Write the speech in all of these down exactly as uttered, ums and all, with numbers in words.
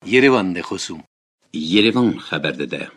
Yerevan de xosûm. Yerevan xeber dide.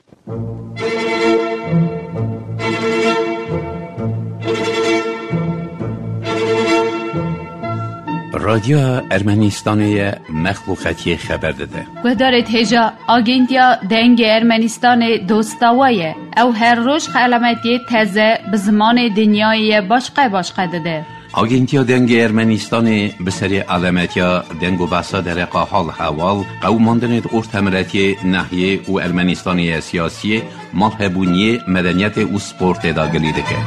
Radyoya Ermenistanê ye, mexluqetiyê xeber dide. Guhdarê hêja, Agentiya Dengê Ermenistanê dosta we ye. Ew her roj xelametiyê teze bi zimanê dinyayê ye başqe başqe dide. Agentiya Dengê Ermenistanê bi serê alemetiya deng û behsa dereqa hal hewal, qewimandinê di ortemiretiyê, nehiyê û Ermenistanê ye siyasiyê, malhebûniyê, medeniyetê û sportê de gilî dike.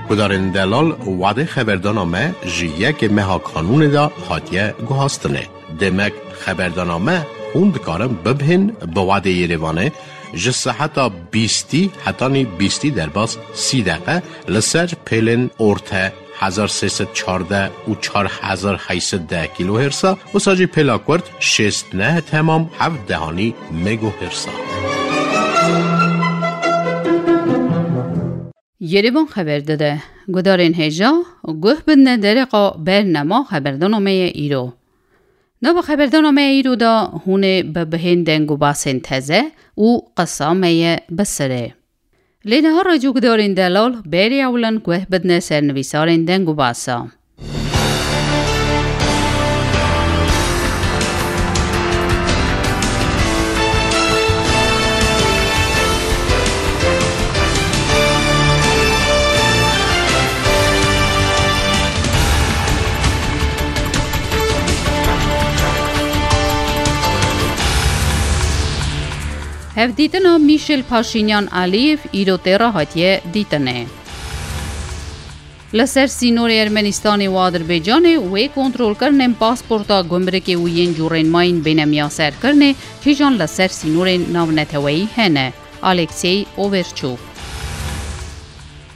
Gudarên delal, wadê xeberdana me ji yekê meha kanûnê de hatiye guhastinê. Demek xeberdana me hûn dikarin bibihên bi wadê Yerevanê ji seheta bîstî hetanî bîstî derbas sî deqe li ser pêlên orte hezar sê sed çardeh û çar hezar heyt sed deh kîlohêrsa, wisa jî pêla kurt şêst neh temam heft dehanî megohêrsa. Yerevan xeber dide. Gudarên hêja, guh bidine dereqa bernama xeberdana me ye îro. Nava xeberdana me îro de hûn ê bi bihên deng û basên teze û qisa me ye bi sirê. Lê niha rêcûkdarên delal berê ewlin guh bidine ser nivîsarên deng û basa. Hevdîtina Mîşel Paşînyan Aliyev îro tê re hatiye dîtinê. Li ser sînorê Ermenistanê û Adirbaycanê wê kontrolkirinên pasporta gumrikê û yên cûrên mayîn bêne miyaserkirinê, kîjan li ser sînorên navneteweyî hene. Aleksey Overçûk.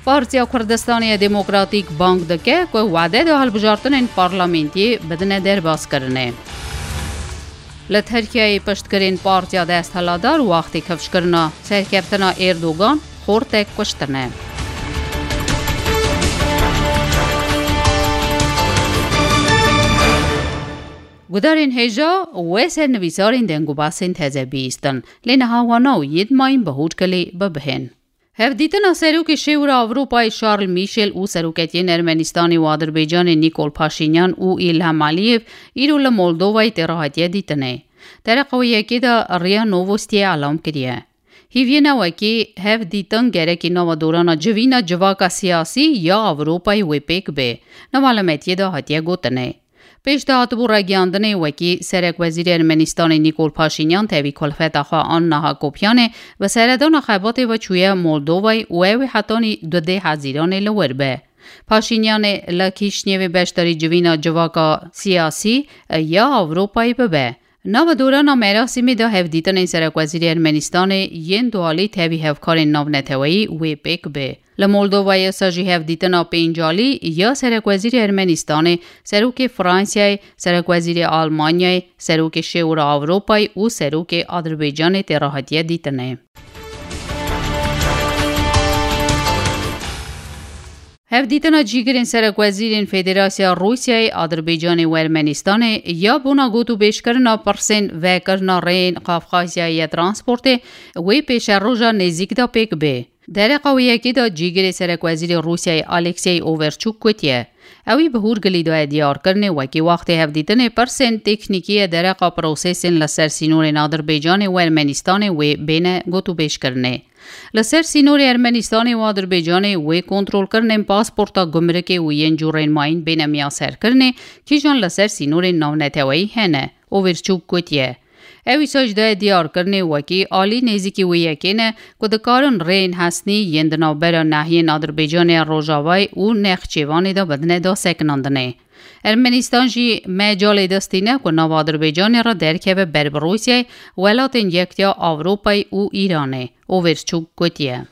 Partiya Kurdistanê ya Demokratîk bang dike ku wade de hilbijartinên parlamentiyê bidine derbaskirinê. Li Tirkiyeyê piştgirên partiya desthilatdar wextê kifşkirina serkeftina Erdogan xortek kuştine. Gudarên hêja, we ser nivîsarên deng û basên teze bihîstin, lê niha wana û yê dimayîn bi hûrkilê bibihên. Hevdîtina Serokê Şêwira Ewropayê Charles Michel û seroketiyên Ermenistanê û Adirbaycanê Nikol Paşînyan û Îlham Aliyev îro li Moldovayê tê re hatiye dîtinê. Dereqa wê yekê de Ria Novostiyê elam kiriye. Hîviyê ne wekî hevdîtin gerekî nava dorana civîna civaka siyasî ya Ewropayê wê pêk bê. Nava elemetiyê de hatiye gotinê. Pêş de hatibû ragihandinê wekî serekwezîrê Ermenistanê Nikol Paşînyan tevî kulfeta xwe Anna Hakopyanê bi seredana xebatê ve çûye Moldovayê û ew ê hetanî dudê Hezîranê li wir be. Paşînyanê li Kîşnevê beşdarî civîna civaka siyasî ya Ewropayê bibe. Nava dorana merasîmê de hevdîtinên serekwezîrê Ermenistanê yên dualî tevî hevkarên navneteweyî wê pêk bê. Li Moldovayê sa jî hevdîtina pêncalî ya serekwezîrê Ermenistanê, serokê Fransayê, serekwezîrê Almanyayê, serokê Şêwira Ewropayê û serokê Adirbaycanê tê re hatiye dîtinê. Hevdîtina cîgirên serekwezîrên Federasya Rûsyayê, Adirbaycanê û Ermenistanê ya bona gotûbêjkirina pirsên vekirina rêyên Qafqazyayê ya transportê wê pêşeroja nêzîk de pêk bê. Dereqa wê yekê de cîgirê serekwezîrê Rûsyayê Aleksey Overçûk gotiye, ewî bi hûrgilî daye diyarkirinê wekî wextê hevdîtinê pirsên teknîkî ye dereqa prosesên li ser sînorên Adirbaycanê û Ermenistanê wê bêne gotûbêjkirinê. Li ser sînorê Ermenistanê û Adirbaycanê wê kontrolkirinên pasporta gumrikê û yên cûrên mayîn bêne miyaserkirinê, kîjan li ser sînorên navneteweyî hene. Overçûk gotiye, ew îsal jî daye diyarkirinê wekî alî nêzîkî wê yekê ne ku dikarin rêyên hesnî yên di navbera nahiyên Adirbaycanê ya Rojavayê û Nexçêvanê de bidine dasekinandinê. Ermenistan jî mecalê destî ne ku nava Adirbaycanê re derkeve ber bi Rûsyayê, Welatên Yektiya Ewropayê û Îranê. Overçûk gotiye.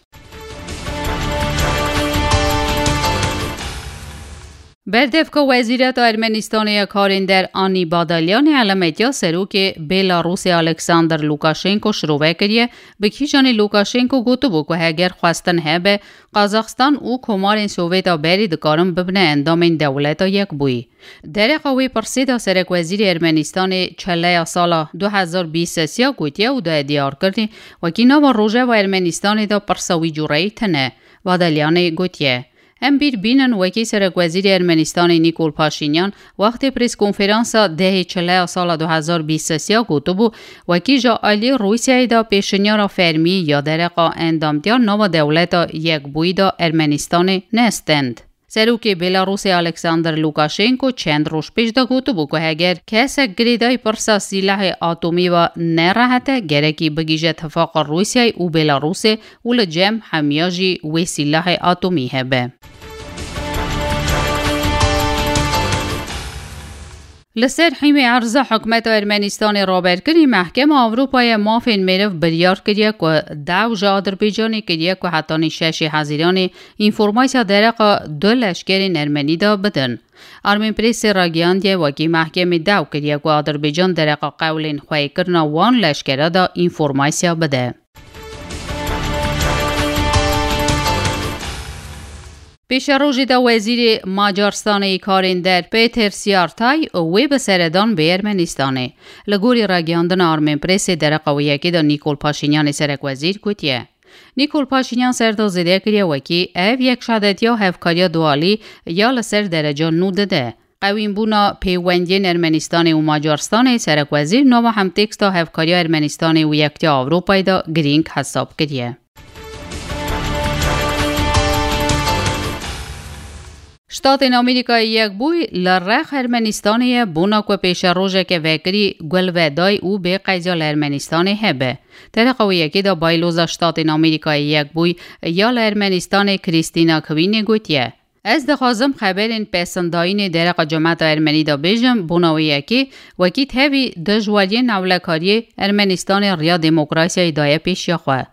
Berdevka Wezîreta Ermenistanê ya Karên Der Anî Badalyanê elametiya serokê Belarusê Alexander Lukaşenko şirove kiriye, bi kîjanê Lukaşenko gotibû ku heger xwestin hebe, Qazaxstan û Komarên Sovêta berê dikarin bibine endamên Dewleta Yekbûyî. Dereqa wê pirsê de serekwezîrê Ermenistanê çeleya sala du hezar bîst sesiya gotiye û daye diyarkirinê, wekî nava rojeva Ermenistanê de pirsa wî cûreyî tune. Badalyanê gotiye, Em bîr bînin wekî serekwezîrê Ermenistanê Nîkol Paşînyan wextê preskonferansa dehê çileya sala du hezar bîst sesiya gotibû, wekî ji aliyê Rûsyayê de pêşinyara fermî ya dereqa endamtiya nava Dewleta Yekbûyî de Ermenistanê nestend. Serokê Belarusê Alexander Lukaşenko çend roj pêş de gotibû ku heger kesek girêdayî pirsa sîlehê atomî ve nerehete, gerekî bigihîje tifaqa Rûsyayê û Belarusê û li cem hemiya jî wê sîlehê atomî hebe. Li ser hîmê erza hikûmeta Ermenistanê raberkirî, Mehkema Ewropayê Mafên Meriv biryar kiriye ku daw ji Adirbaycanê kiriye ku hetanî şeşê Hezîranê înformasiya dereqa du leşkerên Ermenî de bidin. Armên Presê ragihandiye, wekî mehkemê daw kiriye ku Adirbaycan dereqa qewlên xweyîkirina wan leşkera de înformasiya bide. Pêşerojê de Wezîrê Macaristanê yê Karên Der Peter Siartay wê bi seredan bê Ermenistanê. Li gorî ragihandina Armên Presê dereqa wê yekê de Nîkol Paşînyanê serekwezîr gotiye. Nîkol Paşînyan ser de zêde kiriye wekî ev yek şadetiya hevkariya dualî ya li ser dereca nû dide. Qewînbûna pêwendiyên Ermenistanê û Macaristanê serekwezîr nava hemtêksta hevkariya Ermenistanê û Yektiya Ewropayê de girîng hesab kiriye. Ştatên Amerîkayê Yekbûyî li rex Ermenistanê ye, bona ku pêşerojeke vekirî gulveday û bê qeyziya li Ermenistanê hebe. Dereqa wê yekê de Bayloza Ştatên Amerîkayê Yekbûyî ya li Ermenistanê Krîstîna Kwînê gotiye, Ez dixwazim xeberên pesindayînê dereqa cemata Ermenî de bêjim, bona wê yekê wekî tevî dijwariyên ewlekariyê Ermenistanê riya demokrasiyayê daye pêşiya xwe.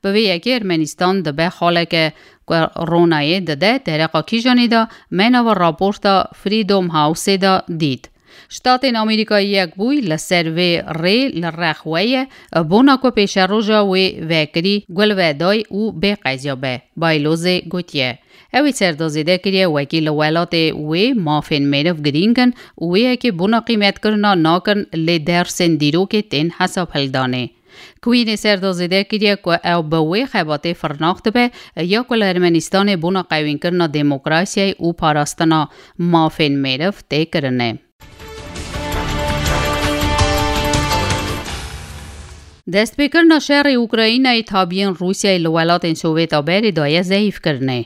Bi vê yekê Ermenistan dibe xaleke ku ronayê dide dereqa kîjanê de me nava raporta Freedom House-ê de dît. Ştatên Amerîkayê Yekbûyî li ser vê rê li rex we ye, bona ku pêşeroja wê vekirî gulveday û bê qeziya be, Baylozê gotiye. Ew ê ser de zêde kiriye wekî li welatê wê mafên meriv girîng in û wê yekê bona qîmetkirina nakin lê dersên dîrokê tên hesab hildanê. Queen ê ser de zêde kiriye ku ew bi wê xebatê firnax dibe ya ku li Ermenistanê bona qewînkirina demokrasiyayê û parastina mafên meriv tê kirine. Destpêkirina şerê Ukraynayê tabiyên Rûsyayê li welatên Sovêta berê daye zehîfkirinê.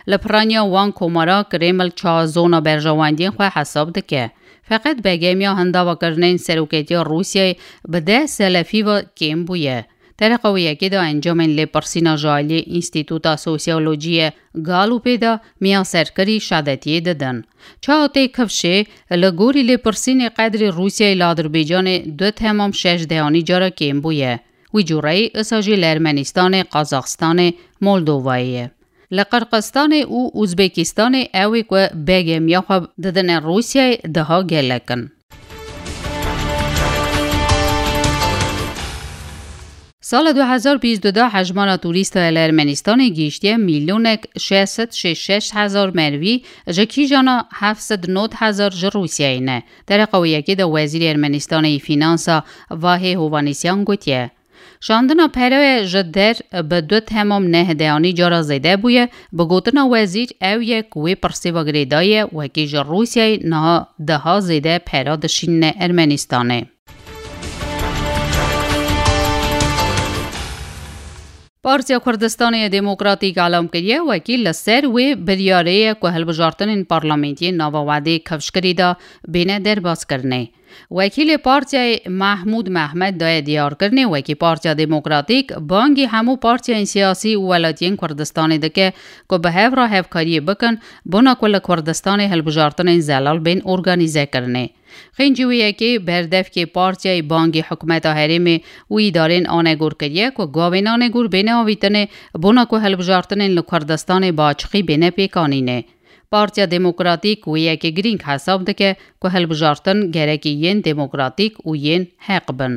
Li piraniya wan komara Kreml çawa zona berjewendiyên xwe hesab dike. Feqet begemiya hindavakirinên seroketiya Rûsyayê bi deh selefî ve kêm bûye. Dereqa wê yekê de encamên lêpirsîna ji aliyê Înstîtuta Sosyolojiyê Galupê de miyaserkirî şadetiyê didin. Çawa tê kifşê, li gorî lêpirsînê qedrê Rûsyayê li Adirbaycanê du temam şeş deyanî cara kêm bûye. Wî cûreyî isa jî li Ermenistanê, Qazaxistanê, Moldovayê ye. Li Qirqistanê û Uzbekistanê ew ê ku begemiya xwe didine Rûsyayê daha gelek in. Sala du hezar bîst du de hejmara turîsta li Ermenistanê gihîştiye milyonek şeş sed şêst şeş hezar merivî, ji kîjana heft sed nod hezar ji Rûsyayê ne. Dereqa wê yekê de Wezîrê Ermenistanê yê Fînansa Vahê Hovanîsyan gotiye, Şandina pereyê ji der bi du temam neh deyanî cara zêde bûye, bi gotina wezîr ew ye ku wê pirsê ve girêdayî ye, wekî ji Rûsyayê niha daha zêde pera dişînine Ermenistanê. Partiya Kurdistanê ya Demokratîk elam kiriye, wekî li ser wê biryarê ye ku hilbijartinên parlamentiyê nava wedê kifşkirî de bêne derbaskirinê. Wekîlê partiyayê Mehmûd Mehmed daye diyarkirinê, wekî Partiya Demokratîk bangî hemû partiyên siyasî û welatiyên Kurdistanê dike ku bi hev re hevkariyê bikin, bona ku li Kurdistanê hilbijartinên zelal bên organîzekirinê. Xêncî wê yekê berdevkê partiyayê bangî hikûmeta herêmê û îdarên anegor kiriye ku gavên anegor bêne avîtinê, bona ku hilbijartinên li Kurdistanê bi açiqî bêne pêkanînê. Partiya Demokratîk wê yekê girîng hesab dike ku hilbijartin gerekî yên demokratîk û yên heq bin.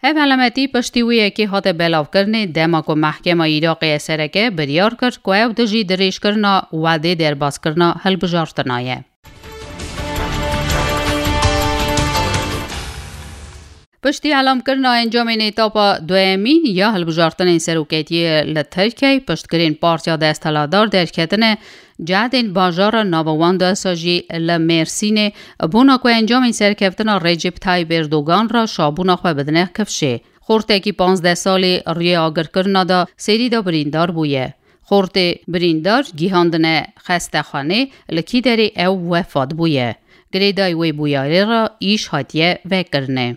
Ev helametî piştî wê yekê hate belavkirinê, dema ku Mehkema Iraqê ya Sereke biryar kir ku ew dijî dirêjkirina wedê derbaskirina hilbijartina ye. Piştî elamkirina encamên etapa duyemîn ya hilbijartinên seroketiyê li Tirkiyeyê, piştgirên partiya desthilatdar derketine cehdên bajara navewanda, wisa jî li Mêrsînê, bona ku encamên serkeftina Recep Tayyip Erdogan re şabûna xwe bidine kifşê. Xortekî panzdeh salî rûyê agirkirina de serî de birîndar bûye. Xortê birîndar gihandine xestexanê, li kî derê ew wefat bûye. Girêdayî wê bûyerê re îş hatiye vekirinê.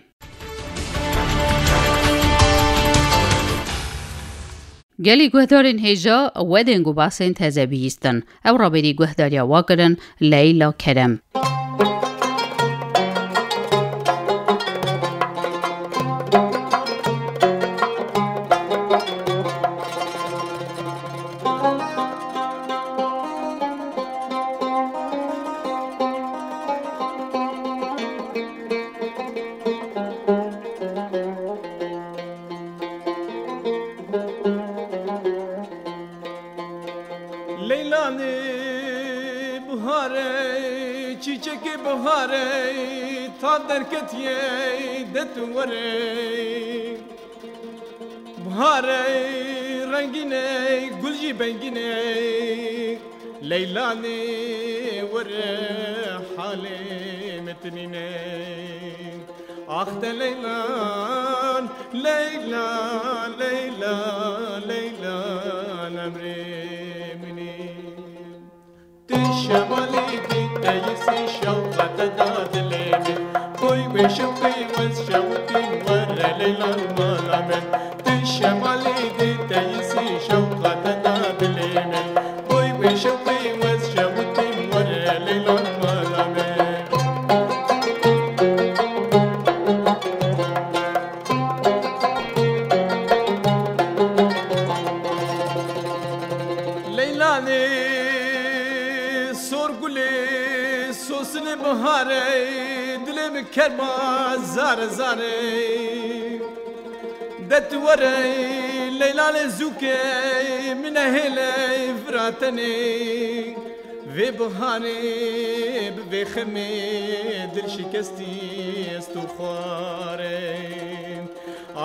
Gelî guhdarên hêja, we deng û basên teze bihîstin. Ew rabêrî guhdariya wa kirin, Leyla Kerem. Leylanê biharê, çîçekê biharê, tav derketiye, de tu were. Biharê rengînê, gul jî bengînê, Leylanê were halê min tinîne. Ax te Leylan, Leyla, Leyla, Leylan emrê min î. Tu şemalî dî te yisî şewqa te da dilê min. Boy wê şewqî wez şewqîn were Leylan mala min. Tu şemalî dî te yisî şewqa te da dilê min. Boy wê şewqî wez şewqîn were Leylan mala min. Leylanê sor gulê, sosinê biharê, dilê min kerma zare zare. De tu were Leylanê zûkê, min nehêle vira tenê. Vê biharê bi vê xemê dil şikestî ez tu xwarê.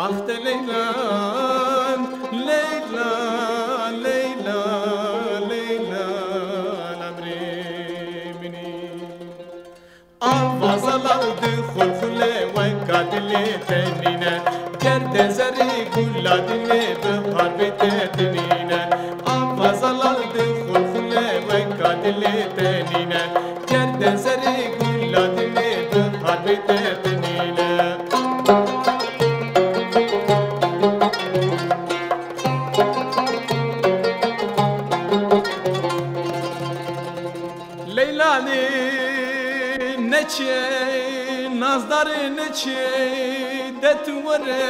Ax te Leylan, Leylan, Leylan, Leylan, emrê min î. Avaza lal di xulxule weka dilê te nîne. Ger de zerî gula dilê bihar bê te dinîne. Avaza lal di xulxule weka dilê te nîne. Ger de zerî gula dilê bihar bê te dinîne. Leylanê neçe, nazdarê neçe, de tu were,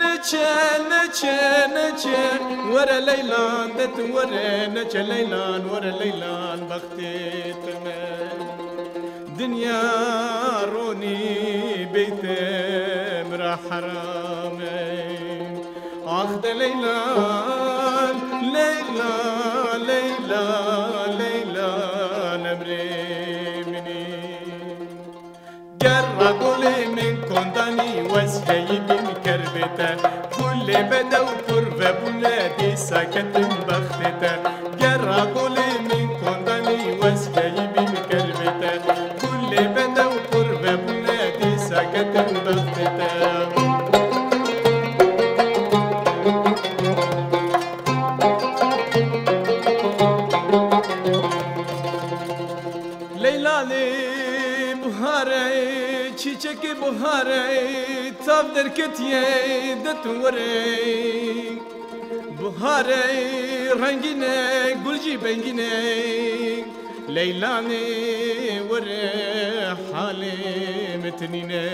neçe, neçe, neçe, were Leylan, de tu were, neçe Leylan, were Leylan, bextê te me. Dinya ronî beyte mira heram e. Ax de Leylan, Leyla, Leyla, Leyla, emrê min î. Ger ra golê min kondanî wez heyî bîn kerbê te. Gulê bedew pir vebûne dîsa ketim bextê te. Ger ra golê min kondanî wez heyî bîn kerbê te. Gulê bedew pir vebûne dîsa ketim bextê te. Leylanê biharê, çîçekê biharê, tav derketiye de tu were. Biharê rengîne, gul jî bengîne, Leylanê were halê min tinîne.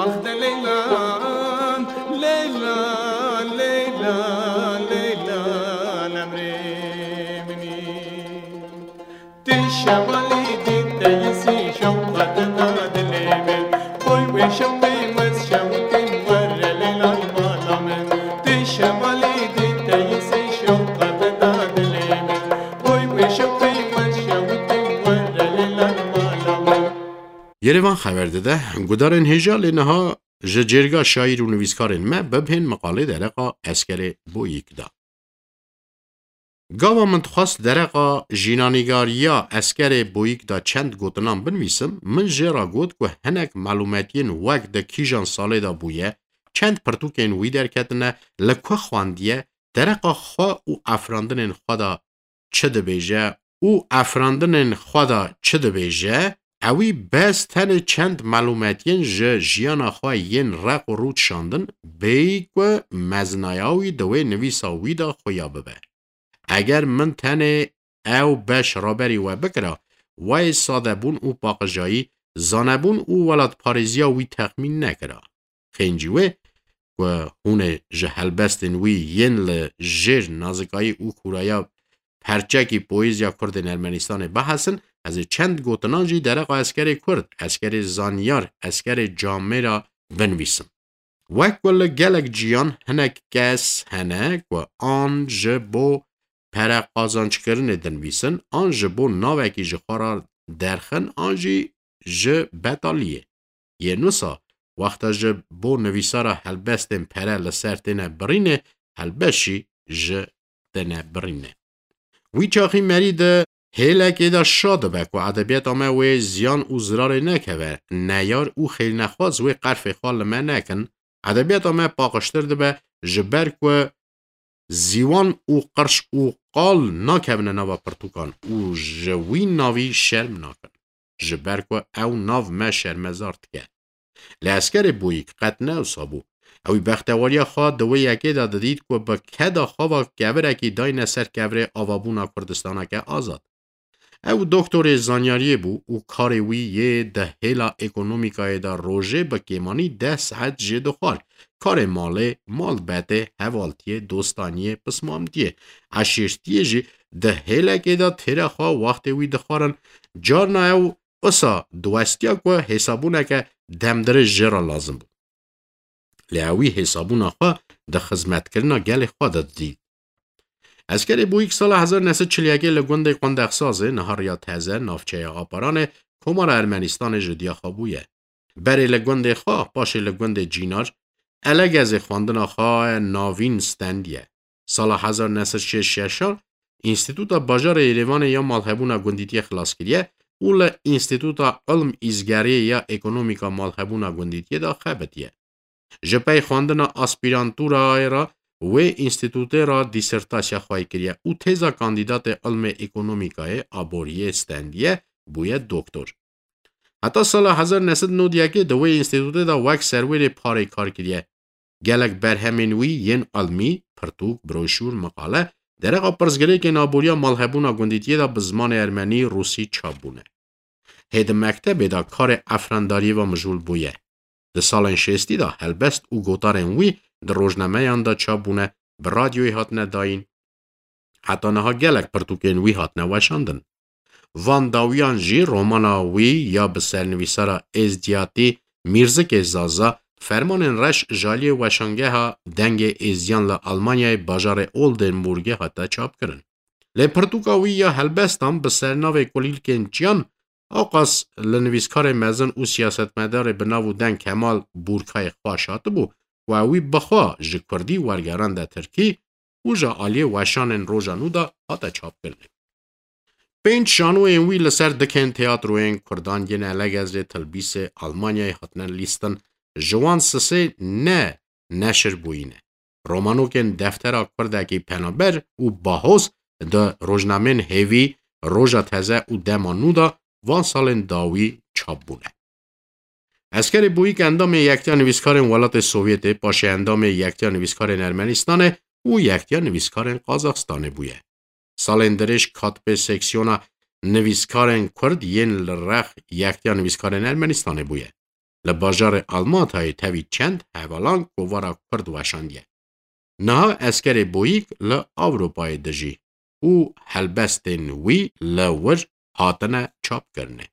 Ax de Leylan, Leylan, Leylan, Leylan, emrê min î. Şevalî dî teyisî şewqet da dilê min. Boy wê şewqê wez şewqên were lê lay mala min. Tê şevalî dî teyisî şewqet da dilê min. Boy wê şewqê wez şewqên were lê lay mala min. Yerevan xeber dide, gudarên hêja lê niha ji cêrga şaîr û nivîskarên me bibhên miqalê dereqa Eskerê Boyîk da. Gava min dixwest dereqa jînanîgariya Eskerê Boyîk da çend gotinan binivîsim, min jê re got ku hinek malûmetiyên wek di kîjan salê de bûye, çend pirtûkên wî derketine, li ku xwendiye, dereqa xwe û afirandinên xwe de çi dibêje û afirandinên xwe de çi dibêje, ewî bes tenê çend malûmetiyên ji jiyana xwe yên req û rût şandin, bêyî ku mezinaya wî di wê nivîsa wî de xuya bibe. Eger min tenê ew beş raberî we bikira, wê sadebûn û paqijayî, zanebûn û welatparêziya wî texmîn nekira. Xêncî wê ku hûn ê ji helbestên wî yên li jêr nazikayî û kûraya perçekî poêziya Kurdên Ermenistanê bihesin, ez ê çend gotinan jî dereqa Eskerê Kurd, Eskerê Zanyar, Eskerê Camêra binivîsim. Wek ku li gelek ciyan hinek kes hene ku an ji bo pere qazançkirinê dinivîsin, an ji bo navekî ji xwe re derxin, an jî ji betaliyê. Yê nusa, wexta ji bo nivîsara helbestên pere li ser têne birînê, helbest jî ji têne birînê. Wî çaxî merî di hêlekê de şa dibe ku edebiyata me wê ziyan û zirarê nekeve, neyar û xêlnexwaz wê qerfê xwe li me nekin. Edebiyata me paqijtir dibe, ji ber ku ziwan û qirş û qal nakevine nava pirtûkan û ji wî navî şerm nakin. Ji ber ku ew nav me şermezar dike. Lê Eskerê Boyîk qet ne wisa bû. Ewî bextewariya xwe di wê yekê de didît ku bi keda xwe ve kevirekî dayne ser kevirê avabûna Kurdistaneke azad. Ew doktorê zanyariyê bû û karê wî yê di hêla ekonomîkayê de rojê bi kêmanî deh saet jê dixwar. Karê malê, malbetê, hevaltiyê, dostaniyê, pismamtiyê, eşîrtiyê jî di hêlekê de têra xwe wextê wî dixwarin. Carna ew wisa diwestiya ku hêsabûneke demdirêj jê re lazim bû. Lê ewî hêsabûna xwe di xizmetkirina gelê xwe de didît. Eskerê Boyîk sala hezar neh sed çil yekê li gundê Qundexsazê, niha Riya Teze, navçeya Aparanê, Komara Ermenistanê ji diya xwe bûye. Berê li gundê xwe, paşê li gundê Cînar, Elegezê xwendina xwe navîn stendiye. Sala hezar neh sed şêst şeşan Înstîtuta Bajarê Êrêvanê ya Malhebûna Gundîtiyê xilas kiriye û li Înstîtuta Ilm Îzgeriyê ya Ekonomîka Malhebûna Gundîtiyê de xebitiye. Ji pey xwendina aspîrantûrayê re wê înstîtûtê re dîsertasiya xwe kiriye û têza kandîdatê ilmê ekonomîkayê aboriyê stendiye, bûye doktor. Heta sala hezar neh sed nod yekê di wê înstîtûtê de wek serwêrê parê kar kiriye. Gelek berhemên wî yên ilmî, pirtûk, broşûr, miqale, dereqa pirsgirêkên aboriya malhebûna gundîtiyê de bi zimanê ermenî, rûsî çap bûne. Hê di mektebê de karê efrandariyê ve mijûl bûye. Di salên şêstî de helbest û gotarên wî di rojnameyan de çap bûne, bi radyoyê hatine dayîn. Heta niha gelek pirtûkên wî hatine weşandin. Van dawiyan jî romana wî ya bi sernivîsara êzdiyatî Mîrzikê Zaza, Fermanên Reş ji aliyê Weşangeha Dengê Êzdiyan li Almanyayê bajarê Oldenburgê hate çapkirin. Lê pirtûka wî ya helbestan bi sernavê Kulîlkên Çiyan, ewqas li nivîskarê mezin û siyasetmedarê bi nav û deng Kemal Bûrkayê xweş hatibû ku ewî bixwe ji kurdî wergerande tirkî û ji aliyê weşanên roja nû de hate çapkirinê. Pênc şanoyên wî li ser dikên teatroyên kurdan yên Elegezê, Tilbîsê, Almanyayê hatine lîstin, ji wan sisê ne neşir bûyî ne. Romanokên Deftera Kurdekî Penaber û Bahoz di rojnamên Hêvî, Roja Teze û Dema Nû de van salên dawî çap bûne. Eskerê Boyîk endamê Yektiya Nivîskarên Welatê Sovyetê, paşê endamê Yektiya Nivîskarên Ermenistanê û Yektiya Nivîskarên Qazaxistanê bûye. Salên dirêj katibê seksiyona nivîskarên Kurd yên li rex Yektiya Nivîskarên Ermenistanê bûye. Li bajarê Almatayê tevî çend hevalan kovara Kurd weşandiye. Niha Eskerê Boyîk li Ewropayê dijî û helbestên wî li wir hatine çapkirinê.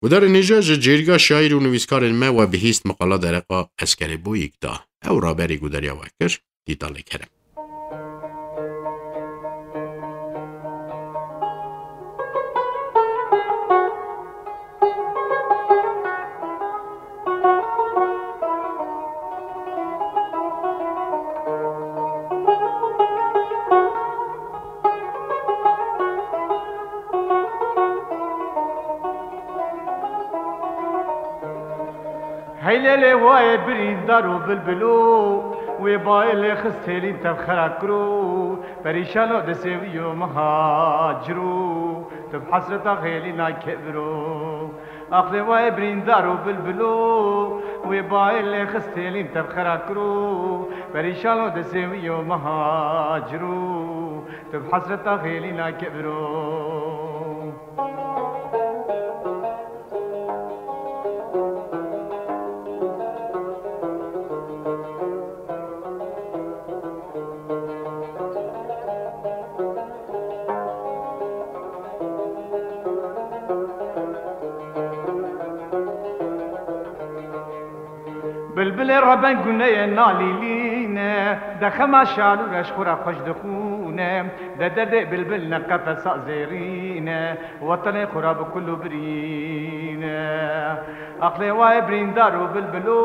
Gudarê nêja ji cêrîga şaîr û nivîskarên me we bihîst meqala dereqa Eskerê Boyîk da. Ew raberî gudariya we kir, Dîtalê Kerem. Hey lê lê wayê birîndar û bilbilo, wê bayê lê xist hêlîn tev xera kiro, perîşano di sêwiyo mihaciro, tu bi hesreta xêlîna keviro. Aqlê wayê birîndar û bilbilo, wê bayê lê xist hêlîn tev xera kiro, perîşano di sêwiyo mihaciro, tu bi hesreta xêlîna keviro. Bilbilê reben guneyê nalîlîne, de xema şalû reş xwe re xweş dixûne, de derdê bilbil ne qefesa zêrîne, wetenê xwe re bi kul û birîne. Aqlê wayê birîndar û bilbilo,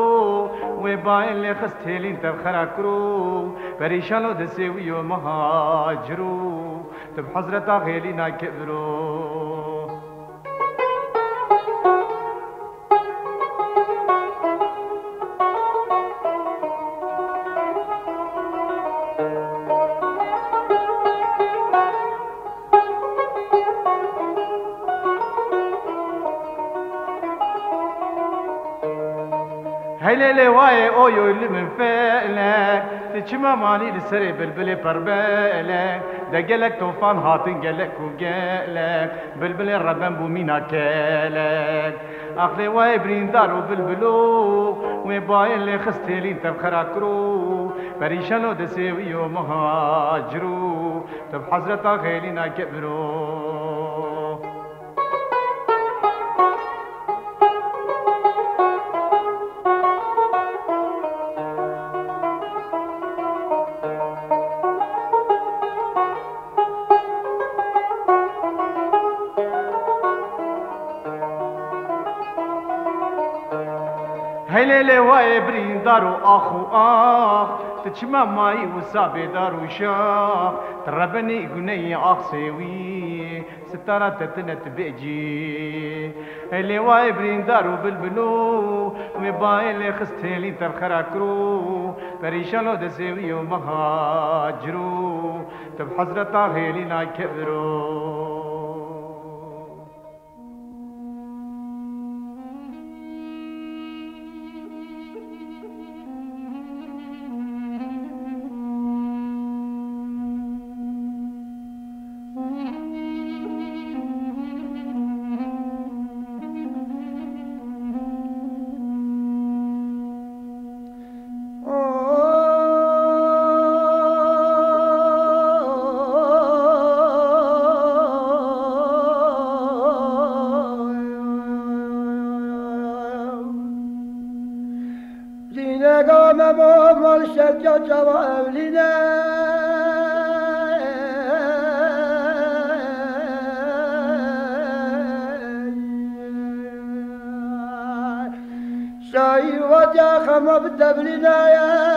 wê bayê lê xist hêlîn tev xera kiro, perîşano di sêwiyo mihaciro, tu bi hezreta xêlîna keviro. Hey lê lê wayê oyo li min felek, tu çima manî li serê bilbilê perbelek, de gelek tofan hatin gelek û gelek, bilbilê reben bû mîna kelek. Aqlê wayê birîndar û bilbilo, wê bayê lê xist hêlîn tev xera kiro, perîşano di sêwiyo mihaciro, tu bi hezreta xêlîna keviro. Hey lê lê wayê birîndar û ax û ax, tu çima mayî wisa bêdar û şax, tu rebenî guneyê axsê wî, sitara te tine tu bêcî. Hey lê wayê birîndar û bilbilo, wê bayê lê xist hêlî tev xera kiro, perîşano di sêwiyo mihaciro, tu bi hezreta hêlîna keviro. Dînega me bo mal şevca çava evlîne. Şayî vatiya xema bi tevlînayek.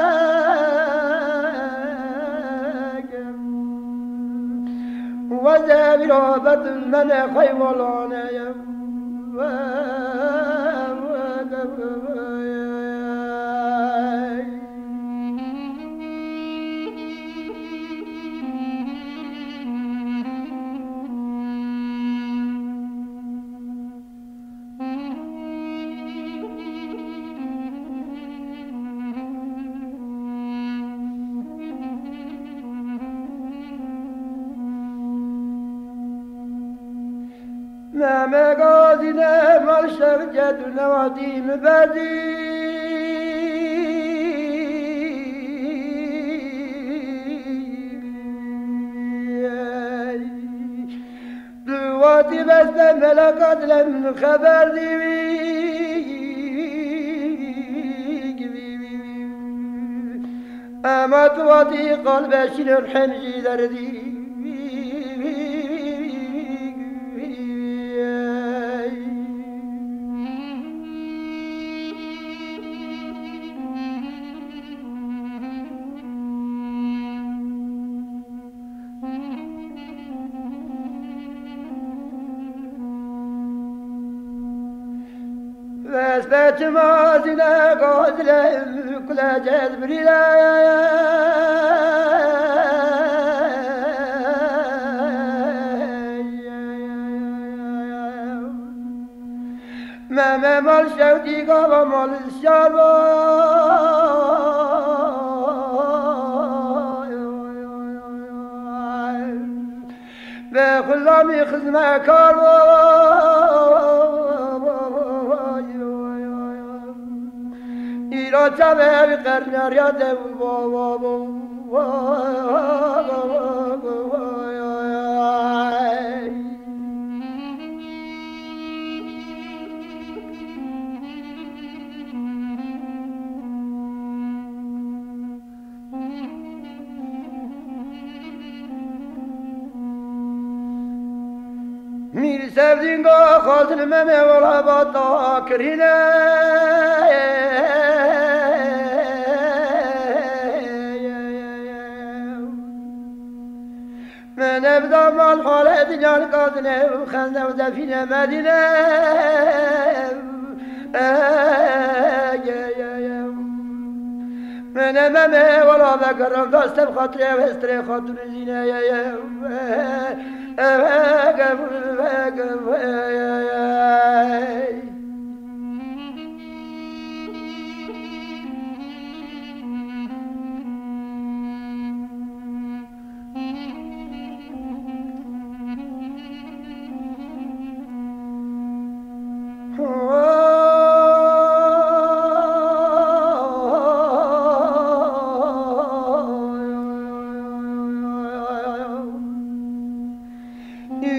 Wezê vîra betin mene xeywalaneye. Meme gazîne mal şevket û newadî min bedî. Bes be meleka dilê min xeber dî. Ema tu watî qal beşînin hem jî derdî. Vesbetî mazîne gazile kule cezbirîle. Me, me mal şewdî gava mal şar ba. Ve xulamî xizmekar ba. Îro çavê ev qerneriya de. Mîr Sevdîn go xwazin Memê wela bata kirîne. Min evda mal hale dinyar gazine û xende û defîne Medîne. Min Memê wela vegeran da sev xatirê ev hestirê xatun zîne.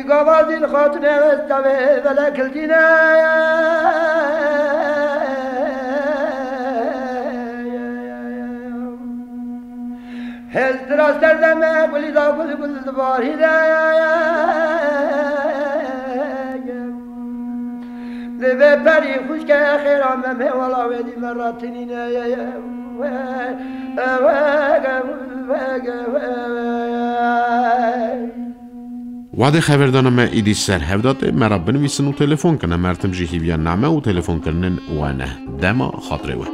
Gavazî li xatine westa ve vele kiltîne. Heztira serdeme gulî da gul gul dibarîne. Divê perî xwişke xêra Memê wela wê dî me ratinîne. Wadê xeverdana me îdî ser hev de tê, me re binivîsin û telefon kine. Mertim jî hîviya name û telefonkirinên we ne. Dema xatirê we.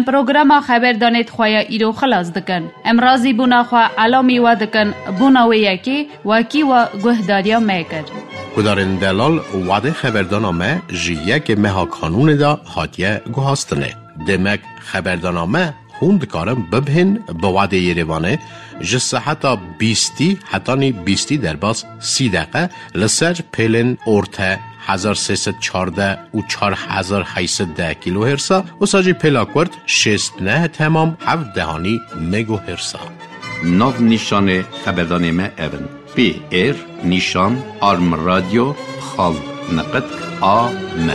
Programa xeberdanê di xwe ya îro xilas dikin. Em razîbûna xwe elamî we dikin, bona wê yekê wekî we guhdariya me kir. Guhdarên delal, wadê xeberdana me ji yekê meha kanûnê de hatiye guhastinê. Demek xeberdana me hûn dikarin bibihên bi wadê Yerêvanê ji seheta bîstî hetanî bîstî derbas sî deqe li ser pêlên orte hezar sê sed çardeh û çar hezar heyt sed deh kîlohêrsa, wisa jî pêla kurt şêst neh temam heft dehanî megohêrsa. Nav nîşanê xeberdanê me ev in: P R nîşan arm radio xal neqet a m.